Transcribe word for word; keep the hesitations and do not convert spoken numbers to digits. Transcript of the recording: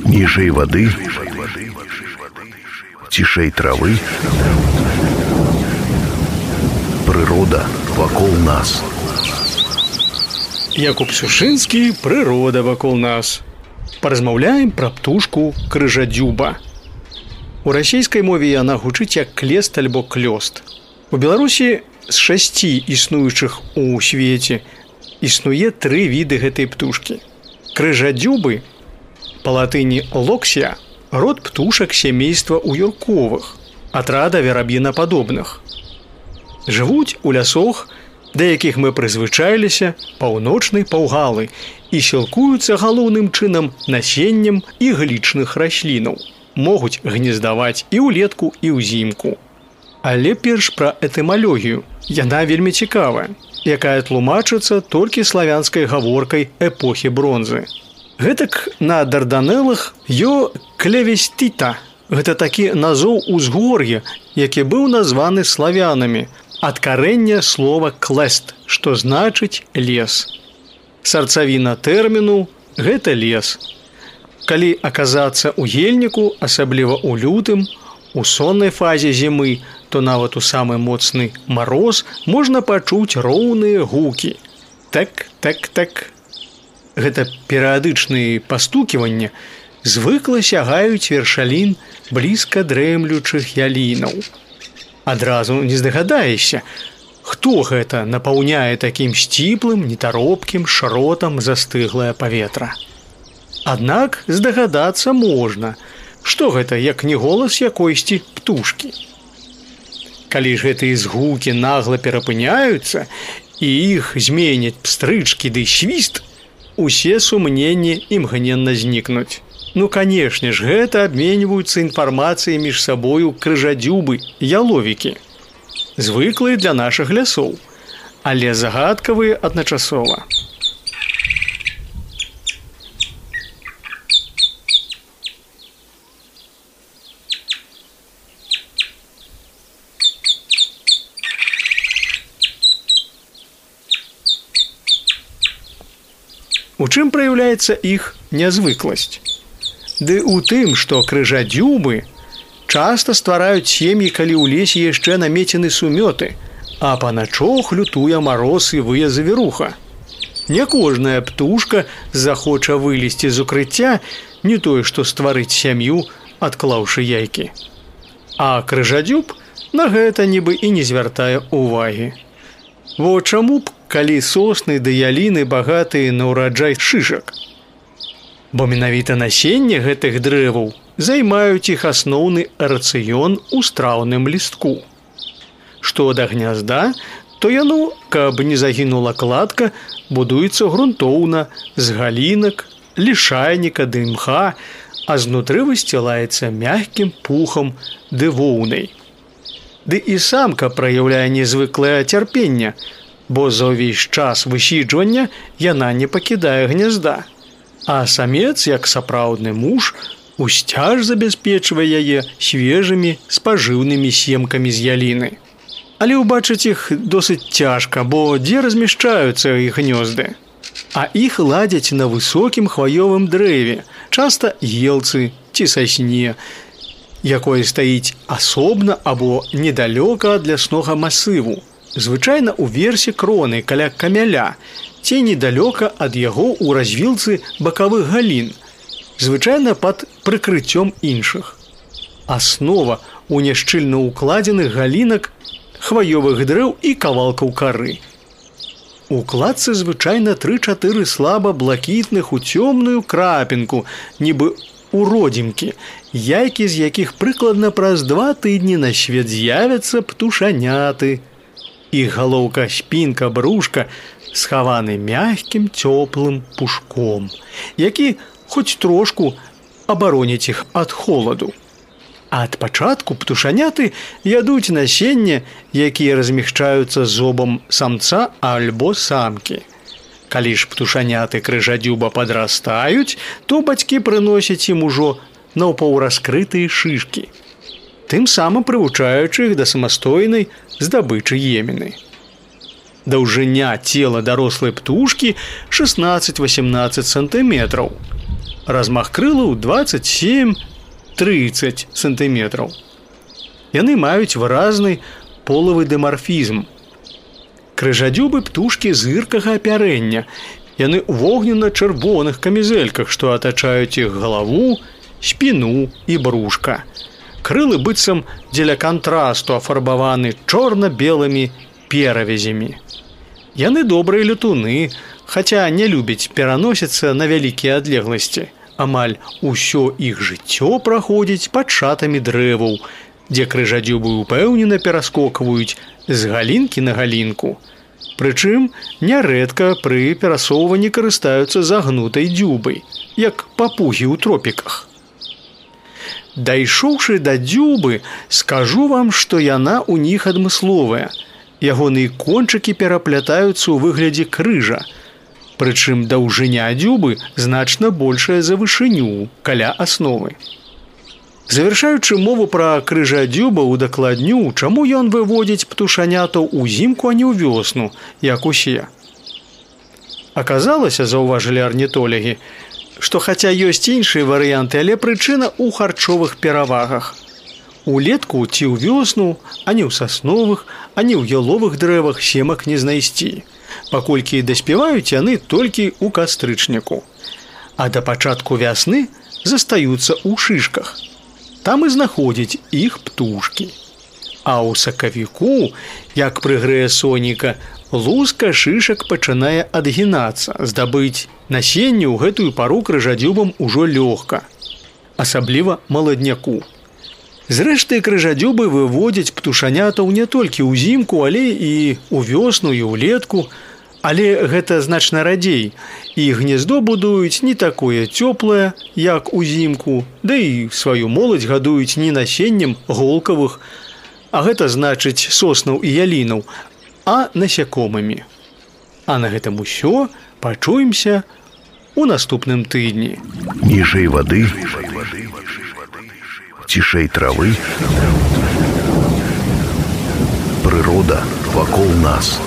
Ніжэй вады, цішэй травы, прырода вакол нас. Якуб Сушынскі, прырода вакол нас. Паразмаўляем пра птушку крыжадзюба. У расійскай мове яна гучыць як клест альбо клёст. У Беларусі з шасці існуючых у свеце існуе тры віды гэтай птушкі. Крыжадзюбы, па латыні локсія, род птушак сямейства уюрковых, атрада вераб'інападобных. Жывуць у лясах, да якіх мы прызвычаіліся, паўночнай паўгалы і сілкуюцца галоўным чынам насеннем іглічных раслінаў. Могуць гнездаваць і ўлетку, і ўзімку. Але перш пра этымалогію. Яна вельмі цікавая, якая тлумачыцца толькі славянскай гаворкай эпохі бронзы. Гэтак на Дарданелах ё клевестита. Гэта такі назоў узгор'я, які быў названы славянамі ад карэння слова клест, што значыць лес. Сарцавіна тэрміну – гэта лес. Калі аказацца ў ельніку, асабліва ў лютым, у соннай фазе зімы, то нават у самы моцны мароз можна пачуць роўныя гукі. Так, так, так. Гэта перыядычныя пастуківанні звыкла сягаюць вершалін блізка дрэмлючых ялінаў. Адразу не здагадаешся, хто гэта напаўняе такім сціплым, нетаропкім шротам застыглае паветра. Аднак здагадацца можна, што гэта як не голас якойсьці птушкі. Калі ж гэтыя згукі нагла перапыняюцца і іх зменяць пстрычкі ды свіст, усе сумненні імгненна знікнуць. Ну, канешне ж, гэта абменьваюцца інфармацыяй між сабою крыжадзюбы, яловікі. Звыклыя для нашых лясоў, але загадкавыя адначасова. У чым праяўляецца іх нязвыкласць? Ды ў тым, што крыжадзюбы часта ствараюць сем'і, калі ў лесе яшчэ намецены сумёты, а паначох лютуе мароз і вые завіруха. Не кожная птушка захоча вылезці з укрыцця, не тое, што стварыць сям'ю, адклаўшы яйкі. А крыжадзюб на гэта нібы і не звяртае ўвагі. Во чаму б, калі сосны ды яліны багатыя на ўраджай шышак? Бо менавіта насенне гэтых дрэваў займаюць іх асноўны рацыён у страўным лістку. Што да гнязда, то яно, каб не загінула кладка, будуецца грунтоўна з галінак, лішайніка ды мха, а знутры высцілаецца мяккім пухам ды воўнай. Ды і самка праяўляе незвыклае цярпенне, бо за ўвесь час высіджвання яна не пакідае гнязда. А самец, як сапраўдны муж, усцяж забяспечвае яе свежымі спажыўнымі семкамі з яліны. Але ўбачыць іх досыць цяжка, бо дзе размяшчаюцца іх гнёзды? А іх ладзяць на высокім хваёвым дрэве, часта елцы ці сасне, якое стаіць асобна або недалёка ад ляснога масыву, звычайна ў версе кроны каля камяля, ці недалёка ад яго ў развілцы бакавых галін, звычайна пад прыкрыццём іншых. Аснова ў няшчыльна ўкладзеных галінак хваёвых дрэў і кавалкаў кары. У кладцы звычайна тры-чатыры слаба блакітных у цёмную крапінку, нібы у родзімкі, яйкі з якіх прыкладна праз два тыдні на свет з'явяцца птушаняты. Іх галоўка, спінка, брушка схаваны мягкім цёплым пушком, які хоць трошку абароніць іх ад холаду. Ад пачатку птушаняты ядуць насенне, якія размяшчаюцца зобам самца альбо самкі. Калі ж птушаняты крыжадзюба падрастаюць, то бацькі прыносяць ім ужо наўпаўраскрытыя шышкі, тым самым прывучаючы іх да самастойнай здабычы емены. Даўжыня цела дарослай птушкі шэснаццаць-васемнаццаць сантыметраў. размах крылаў двадцать семь тридцать сантыметраў. Яны маюць выразны полавы дымарфізм. Крыжадзюбы птушкі зыркага апярэння. Яны ў вогненна-чырвоных камізэльках, што атачаюць іх галаву, спіну і брушка. Крылы быццам дзеля кантрасту афарбаваны чорна-белымі перавязямі. Яны добрыя летуны, хаця не любяць пераносіцца на вялікія адлегласці. Амаль усё іх жыццё праходзіць пад шатамі дрэваў, дзе крыжадзюбы упэўнена пераскокваюць з галінкі на галінку. Прычым нярэдка пры перасоўванні карыстаюцца загнутай дзюбай, як папугі ў тропіках. Дайшоўшы да дзюбы, скажу вам, што яна ў них адмысловая. Ягоныя кончыкі пераплятаюцца ў выглядзе крыжа. Прычым даўжыня дзюбы значна большая за вышыню каля асновы. Завяршаючы мову пра крыжадзюба удакладню, чаму ён выводзіць птушанятаў узімку, а не ў вёсну, як усе. Аказалася, заўважылі арнітолягі, што хаця ёсць іншыя варыянты, але прычына ў харчовых перавагах. Улетку ці ў вёсну, ані ў сасновых, ані ў яловых дрэвах семак не знайсці, паколькі даспяваюць яны толькі ў кастрычніку. А да пачатку вясны застаюцца ў шышках. Там і знаходзяць іх птушкі. А ў сакавіку, як прыгрэе сонейка, луска шышак пачынае адгінацца. Здабыць насенне ў гэтую пару крыжадзюбам ужо лёгка, асабліва маладняку. Зрэшты, крыжадзюбы выводзяць птушанятаў не толькі ўзімку, але і ў вёсну і ўлетку. Але гэта значна радзей, і гнездо будуюць не такое цёплае, як узімку, да і сваю моладзь гадуюць не насеннем голкавых, а гэта значыць соснаў і ялінаў, а насякомымі. А на гэтым усё, пачуемся у наступным тыдні. Ніжэй вады, цішэй травы, прырода вакол нас.